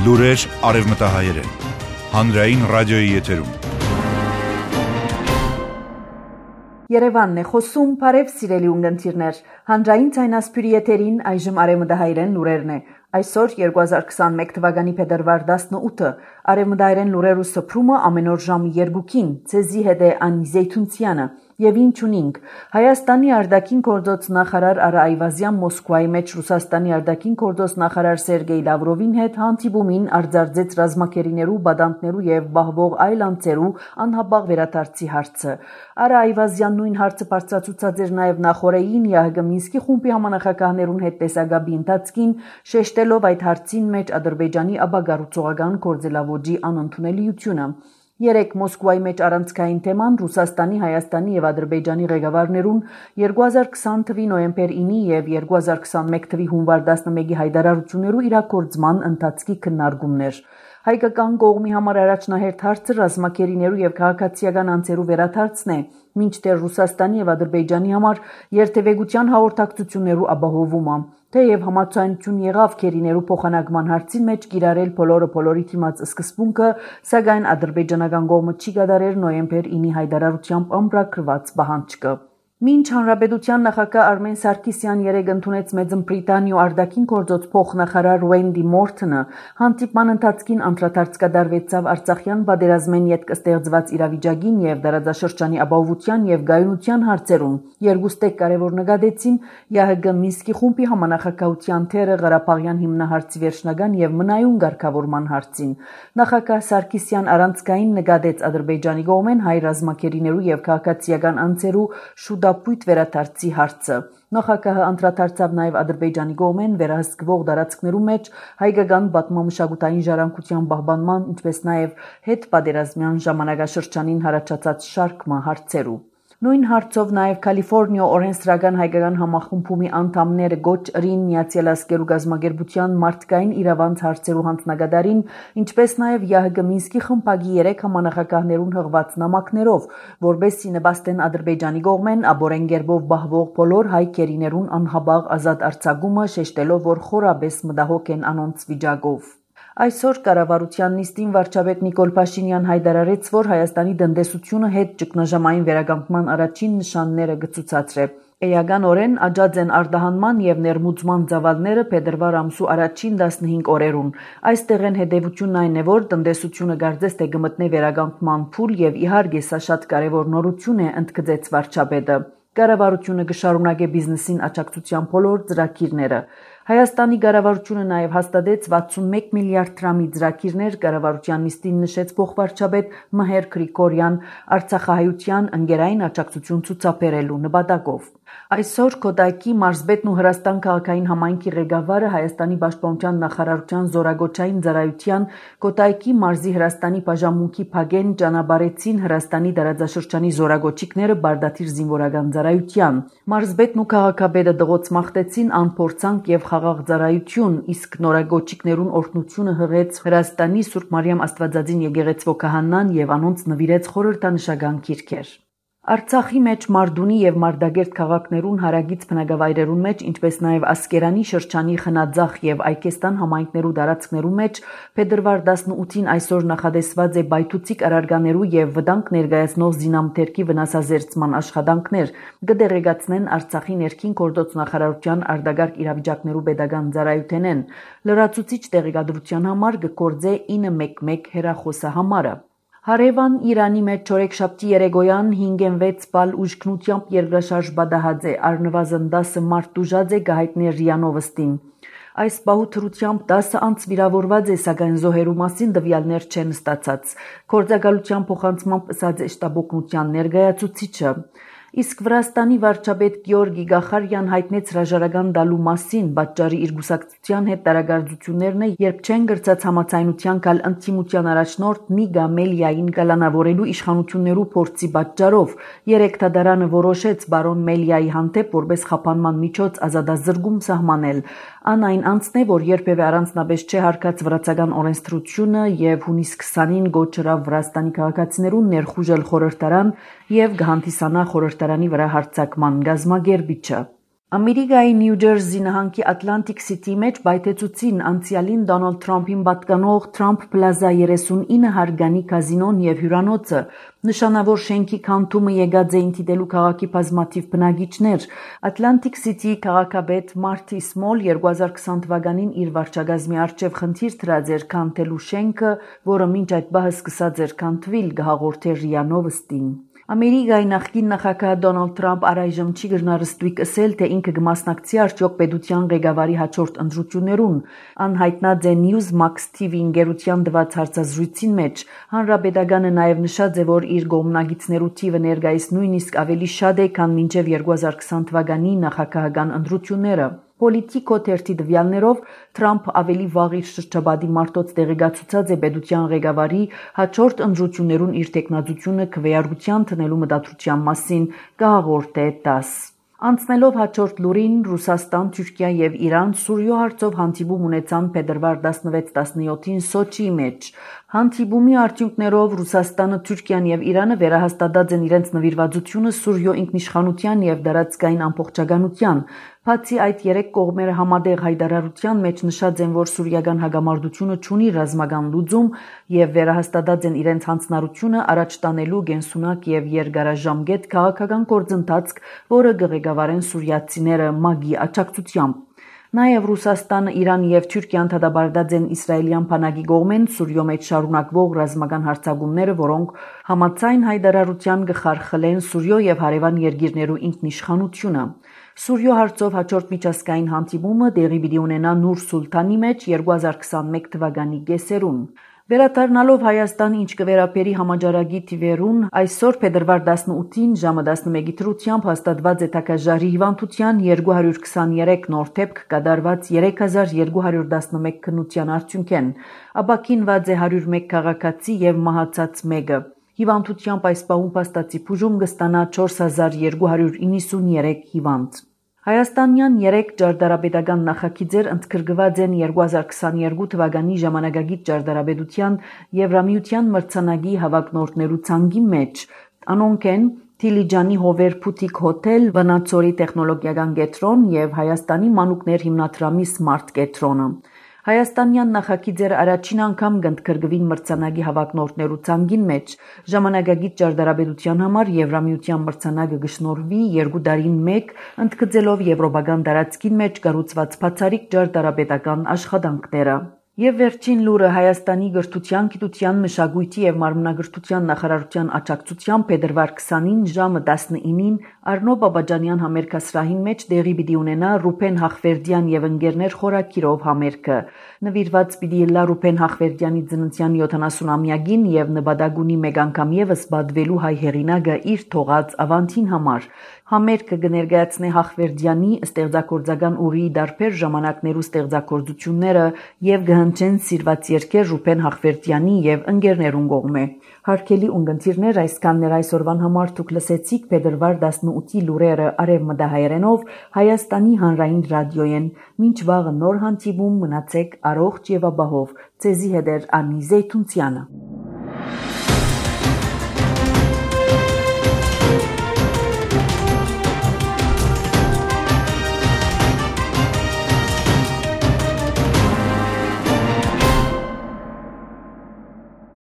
Լուրեր արևմտահայերեն, հանրային ռադիոյի եթերում։ Երևանն է խոսում, բարև սիրելի ունգընտիրներ, հանրային ցայնասպյուրի եթերին այժմ արևմտահայերեն լուրերն է։ Այսօր 2021 թվականի փետրվար 18-ը արևմտահայերեն լուրերու սփրումը ամեն օր ժամը 2-ին ցեզի հետ է Անի Զեյթունցյանը եւ ինչ ունինք Հայաստանի արտաքին գործոց նախարար Արա Այվազյան Մոսկվայի մեջ Ռուսաստանի արտաքին գործոց նախարար Սերգեյ Լավրովին հետ հանդիպումին արձարծեց ռազմակերիներու, բադանտներու եւ բահվող այլ անձերու անհապաղ վերադարձի հարցը։ Արա Այվազյան նույն հարցը բարձրացուցած էր նաեւ նախորդին ՀՀԳ Մինսկի խումբի համանախագահներուն հետ տեսագաբի ընթացքին շեշտելով այդ հարցին մեջ Ադրբեջանի ապագառուցողական գործելավոճի անընդունելիությունը։ Երեք Մոսկվայի մեջ առանցքային թեման Ռուսաստանի, Հայաստանի եւ Ադրբեջանի ղեկավարներուն 2020 թվականի նոյեմբեր 9-ի եւ 2021 թվականի հունվար 11-ի հայտարարություններու իրագործման ընթացքի քննարկումներ։ Հայկական կողմի համար առաջնահերթ հարցը ռազմակերիներու եւ քաղաքացիական անձերու վերադարձն է, մինչդեռ Ռուսաստանի եւ Ադրբեջանի համար երթևեկության հաղորդակցություններու ապահովումը։ Թեև համաձայնություն եղավ քերիներու փոխանակման հարցին մեջ կիրառել բոլորի թիմած սկզբունքը, սակայն ադրբեջանական կողմը չի կատարել նոյեմբեր 9-ի հայտարարությամբ ամրագրված պահանջը։ Մինչ հանրապետության նախագահ Արմեն Սարգսյան երեկ ընդունեց Մեծն Բրիտանիու արտաքին գործոց փոխնախարար Ուենդի Մորթոնը, հանդիպման ընթացքին անդրադարձ կատարվեցավ Արցախյան պատերազմեն յետք ստեղծված իրավիճակին եւ դարաձաշրջանի ապահովության եւ գայունության հարցերուն։ Երկուստեք կարևոր նկատեցին ՀՀԳ Մինսկի խումբի համանախագահության թերը Ղարաբաղյան հիմնահարցի վերջնական եւ մնայուն ղեկավարման հարցին։ Նախագահ Սարգսյան առանցքային նկատեց Ադրբեջանի կողմեն հայ ռազմակերիներու եւ քաղաքացիական անձերու շուտապույտ վերադարձի հարցը։ Նախագահը անդրադարձավ նաև Ադրբեջանի կողմեն վերահսկվող տարածքներու մեջ հայկական պատմամշակութային ժառանգության պահպանման, ինչպես նաև հետպատերազմյան ժամանակաշրջանին հարաճած շարքը հարցերու։ Նույն հարցով նաև Կալիֆոռնիա օրենսդրական հայկական համախմբումի անդամները գոչ ըրին Միացյալ Ազգերու գազագերբության մարդկային իրավանց հարցերու հանձնագետարին, ինչպես նաև ՀՀԳ Մինսկի խմբակի 3 համանախագահներուն հղված նամակներով, որբեսի նպաստեն Ադրբեջանի կողմեն աբորեն գերբով բահվող բոլոր հայ քերիներուն անհապաղ ազատ արձակումը, շեշտելով, որ խորաբես մտահոգ են անոնց վիճակով։ Այսօր կառավարության նիստին վարչապետ Նիկոլ Փաշինյան հայտարարեց, որ Հայաստանի տնտեսությունը հետ ճգնաժամային վերականգնման առաջին նշանները կցուցադրե։ Էականորեն աճած են արտահանման եւ ներմուծման ծավալները փետրվար ամսու առաջին 15 օրերուն։ Այստեղ են հետևությունն այն է, որ տնտեսությունը կարծես թե կմտնի վերականգնման փուլ եւ իհարկե սա շատ կարեւոր նորություն է, ընդգծեց վարչապետը։ Կառավարությունը կշարունակի բիզնեսին աջակցության բոլոր ծրագիրները։ Հայաստանի կառավարությունը նաև հաստատեց 61 միլիարդ դրամի ծրագիրներ կառավարության նիստին նշեց փոխվարչապետ Մհեր Գրիգորյան Արցախահայության ընկերային աջակցություն ցուցաբերելու նպատակով։ Այսօր Կոտայքի մարզպետն ու Հրաստան քաղաքային համայնքի ղեկավարը Հայաստանի պաշտպանության նախարարության զորագոչային ծառայության Կոտայքի մարզի Հրաստանի բաժանմունքի փագեն ճանապարհեցին Հրաստանի տարածաշրջանի զորագոչիկները Բարդաթիր զինվորական ծառայության։ Մարզպետն ու քաղաքապետը դղոց մաղթեցին անփորձանք եւ խաղաղ ծառայություն, իսկ նորագոչիկներուն օրհնությունը հղեց Հրաստանի Սուրբ Մարիամ Աստվածածին եկեղեցվո քահանան եւ անոնց նվիրեց խորհրդանշական գիրքեր։ Արցախի մեջ Մարդունի եւ Մարդագերտ քաղաքներուն հարագից բնակավայրերուն մեջ, ինչպես նաև Ասկերանի շրջանի Խնաձախ եւ Այկեստան համայնքներու տարածքներու մեջ փետրվար 18-ին այսօր նախադեсված է բայթուցիկ առարգաներու եւ վտանգ ներկայացնող զինամթերքի վնասազերծման աշխատանքներ, կդեղեկացնեն Արցախի ներքին գործոց նախարարության արտագարկ իրավիճակներու pedagogan ծառայութենեն։ Լրացուցիչ տեղեկատվության համար կգործե 911 հեռախոսահամարը։ Հարևան Իրանի մեջ չորեքշաբթի երեկոյան 5.6 բալ ուժգնությամբ երկրաշարժ պատահած է, առնվազն 10 մարդ տուժած է գահիտնի ՌԻԱ Նովոստին։ Այս բահութրությամբ 10 անց վիրավորված է, սակայն զոհերու մասին տվյալներ չեն ստացած։ Գործակալության փոխանցմամբ ըսած է շտաբօգնության ներկայացուցիչը։ Իսկ Վրաստանի վարչապետ Գեորգի Գախարյան հայտնեց հրաժարական տալու մասին, պատճառի իր գուսակցության հետ տարագարձություններն է, երբ չեն գրծած համաձայնության կալ ընդդիմության առաջնորդ Նիգա Մելիային կալանավորելու իշխանություններու փորձի պատճառով։ Երեք դատարանը որոշեց բարոն Մելիայի հանդեպ որպես խափանման միջոց ազատազրկում սահմանել։ Ան այն անձն է, որ երբևէ առանձնապես չէ հարգած վրացական օրենսդրությունը եւ հունիս 20-ին գոչրավ Վրաստանի քաղաքացիներուն ներխուժել խորհրդարան եւ գահանտիսանա խորհրդարանի վրա հարձակման գազմագերբիչը։ Ամերիկայի Նյու Ջերսի նահանգի Ատլանտիկ Սիթիի մեջ բայթեցուցին անցյալին Դոնալդ Թրամփին պատկանող Trump Plaza 39 հարգանի կազինոն եւ հյուրանոցը, նշանավոր շենքի քանդումը եկած էին դիտելու քաղաքի բազմաթիվ բնակիչներ։ Ատլանտիկ Սիթիի քաղաքապետ Մարտի Սմոլ 2020 թվականին իր վարչագազմի առջև խնդիր դրած էր քանդելու շենքը, որը մինչ այդ բահը սկսած էր քանդվել, գահաղորդեր ՌԻԱ Նովոստին։ Ամերիկայի նախկին նախագահ Դոնալդ Թրամփ առայժմ չի գնարստույկ ասել, թե ինքը կմասնակցի արդյոք պետության ղեկավարի հաջորդ ընտրություններուն։ Անհայտնած է Newsmax TV ընկերության տված հարցազրույցին մեջ։ Հանրապետականը նաև նշած է, որ իր գոմնագիցներու թիվը ներկայիս նույնիսկ ավելի շատ է, քան մինչև 2020 թվականի նախագահական ընտրությունները։ Պոլիտիկո թերթի տվյալներով Թրամփը ավելի վաղ իր շրջապատի մարդոց տեղեկացուցած է պետության ղեկավարի հաջորդ ընտրություններուն իր տեխնացությունը քվեարկության տնելու մտադրության մասին, կհաղորդե ՏԱՍՍ։ Անցնելով հաջորդ լուրին, Ռուսաստան, Թուրքիա եւ Իրան Սուրիո հարցով հանդիպում ունեցան փետրվար 16-17-ին Սոչիի մեջ։ Հանդիպումի արդյունքներով Ռուսաստանը, Թուրքիան եւ Իրանը վերահաստատած են իրենց նվիրվածությունը Սուրիո ինքնիշխանության եւ դարածքային ամբողջականության։ Բացի այդ, երեք կողմերը համատեղ հայտարարության մեջ նշած են, որ սուրիական հագամարտությունը չունի ռազմական լուծում եւ վերահաստատած են իրենց հանձնառությունը առաջ տանելու գենսունակ եւ երկարաժամկետ քաղաքական գործընթաց, որը կղեկավարեն սուրիացիները ՄԱԳ-ի աջակցությամբ։ Նաև Ռուսաստանը, Իրանը եւ Թուրքիան դատապարտած են իսրայելյան բանակի կողմեն Սուրիո մեջ շարունակվող ռազմական հարձակումները, որոնք համաձայն հայտարարության կխարխլեն Սուրիո եւ հարևան երկիրներու ինքնիշխանությունը։ Սուրիո հարցով հաջորդ միջազգային հանդիպումը տեղի պիտի ունենա Նուր Սուլթանի մեջ 2021 թվականի կեսերուն։ Վերադառնալով Հայաստան, ինչ կվերապերի համաճարակի թիվերուն, այսօր փետրվար 18-ին ժամը 11-ի դրությամբ հաստատված է թագաժարի հիվանդության 223 նոր դեպք կատարված 3211 քննության արդյունքեն։ Ապաքինված է 101 քաղաքացի եւ մահացած 1-ը։ Հիվանդությամբ այս պահում փաստացի բուժում կստանա 4293 հիվանդ։ Հայաստանյան 3 ճարտարապետական նախագիծեր ընդգրկված են 2022 թվականի ժամանակագիծ ճարտարապետության Եվրամիության մրցանակի հավակնորդներու ցանկի մեջ։ Անոնք են Դիլիջանի Հովեր Բուտիկ հոթել, Վանաձորի տեխնոլոգիական կենտրոն եւ Հայաստանի մանուկներ հիմնադրամի Smart կենտրոնը։ Հայաստանյան նախագիծերը առաջին անգամ կընդգրկվին մրցանակի հավակնորդներու ցանկին մեջ։ Ժամանակագիծ ճարտարապետության համար Եվրամիության մրցանակը կշնորհվի 2 տարին մեկ, ընդգծելով եվրոպական տարածքին մեջ կառուցված բացառիկ ճարտարապետական աշխատանքները։ Եվ վերջին լուրը Հայաստանի գրթության, գիտության, մշակույթի եւ մարմնագրթության նախարարության աջակցությամբ փետրվար 20-ին ժամը 19-ին Արնո Բաբաջանյան համերգասրահին մեջ տեղի պիտի ունենա Ռուփեն Հախվերդյան եւ ընկերներ խորակիրով համերգը։ Նվիրված պիտի լա Ռուփեն Հախվերդյանի ծննդյան 70-ամյակին եւ նպատակ ունի մեկ անգամ եւս բադվելու հայ հեղինակը իր թողած ավանդին համար։ Համերգը կներկայացնի Հախվերդյանի ստեղծագործական ուղի դարբեր ժամանակներու ստեղծագործությունները եւ կհնչեն սիրված երգեր Ռուփեն Հախվերդյանի եւ ընկերներուն կողմէ։ Հարգելի ունկնդիրներ, այսքաններ այսօրվան համար դուք լսեցիք փետրվար 18-ի լուրերը արևմտահայերենով Հայաստանի հանրային ռադիոյեն։ Մինչ վաղը նոր հանդիպում, մնացեք առողջ եւ ապահով։ Ձեզի հետ է Անի Զեյթունցյանը։